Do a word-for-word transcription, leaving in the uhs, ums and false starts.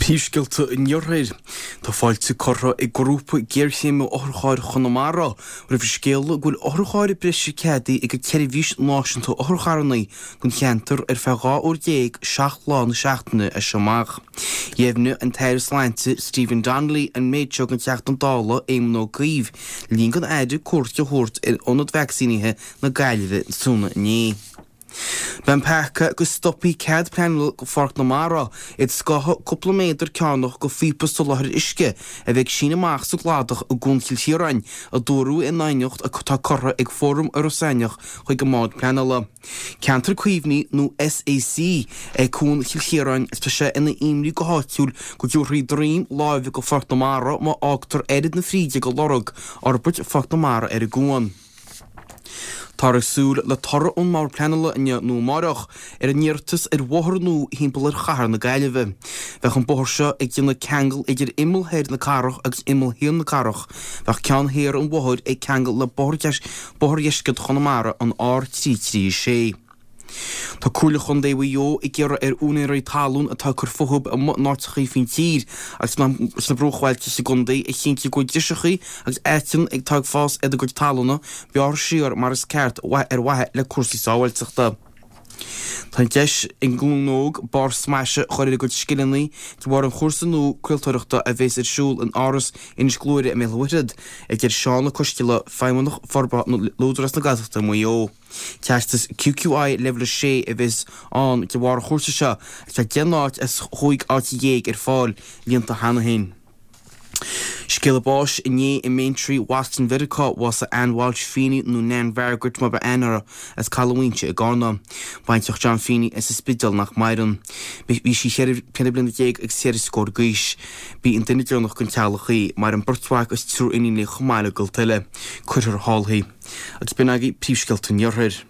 Príomhscéalta an Iarthair. Tá fáilte curtha ag grúpa géarchéime otharchairr Chonamara roimh an scéala go bhfuil otharcharr breise ceadaithe ag an tSeirbhís Náisiúnta Otharcharranna don cheantar ar feadh dhá uair déag seacht lá na seachtaine as seo amach. Dheimhnigh an tAire Sláinte Stephen Donnelly an méid seo don Teachta Dála Éamon Ó Cuív le linn don Aire cuairt a thabhairt ar ionad vacsaínithe na Gaillimhe tráthnóna inné. Beidh an peaca go stopfaí cead pleanála go Pháirc na Mara iad scoitheadh cúpla méadar cearnach go phíopa soláthair uisce a bheidh ag síneadh amach sa gcladach i gCuan Chill Chiaráin, a dúradh in aighneacht atá curtha ag Fóram Iorras Aithneach chuig an mBord Pleanála. Ceantar Caomhnaithe nó SAC é Cuan Chill Chiaráin agus tá sé ina imní go háitiúil go dtabharfaí droim láimhe go Pháirc na Mara má fhágtar oiread na fríde go lorg fhorbairt Pháirc na Mara ar an gcuan. Táthar ag súil le toradh ón mBord Pleanála inniu nó amárach ar an iarratas ar bhóthar nua thimpeall ar chathair na Gaillimhe. Bheadh an bóthar seo ag déanamh ceangal idir imeall thoir na cathrach agus imeall thiar na cathrach. Bheadh ceann thiar an bhóthair ag ceangal le bóthar Bóthar Dheisceart Chonamara, an R trí trí a sé. Tá Comhairle Chontae Mhaigh Eo ag iarraidh ar úinéirí talún atá ag cur fúthu amuigh in áiteachaí faoin tír agus sna bruachbhailte sa gcontae a chinntiú go bhfuil driseachaí agus aiteann atá ag fás ar a gcuid talúna bearrtha siar mar is ceart ar mhaithe le cúrsaí sábháilteachta. Tá an deis ag an nglúin óg barr smaise a chur ar a gcuid scileanna de bharr an chúrsa nua craoltóireachta a bheas ar siúl in Áras Inis Gluaire i mBéal Átha Mhuirthead, a deir Seán Ó Coisdealbha, Feidhmeannach Forbartha le Údarás na Gaeltachta i Maigh Eo. Teastas QQI Leibhéal a sé a bheas ann de bharr an chúrsa seo agus tá deich n-áit as chúig áit dhéag ar fáil líonta cheana féin. Scéala báis inné i mBeanntraí Boston Mheiriceá, bhásaigh Ann Walsh Feeney nó Nan Mhargaret mar ba aithne uirthi as Caladh Mhaínse i gCarna. Baintreach John Feeney as an Spidéal nach maireann. Bhí sí ceithre bliana déag agus ceithre scór d'aois. B'í an duine deireanach den teaghlach í. Maireann beirt mhac agus triúr iníon léi chomh maith le gaolta eile. Cuirfear thall í. Agus b'in agaibh príomhscéalta an Iarthair.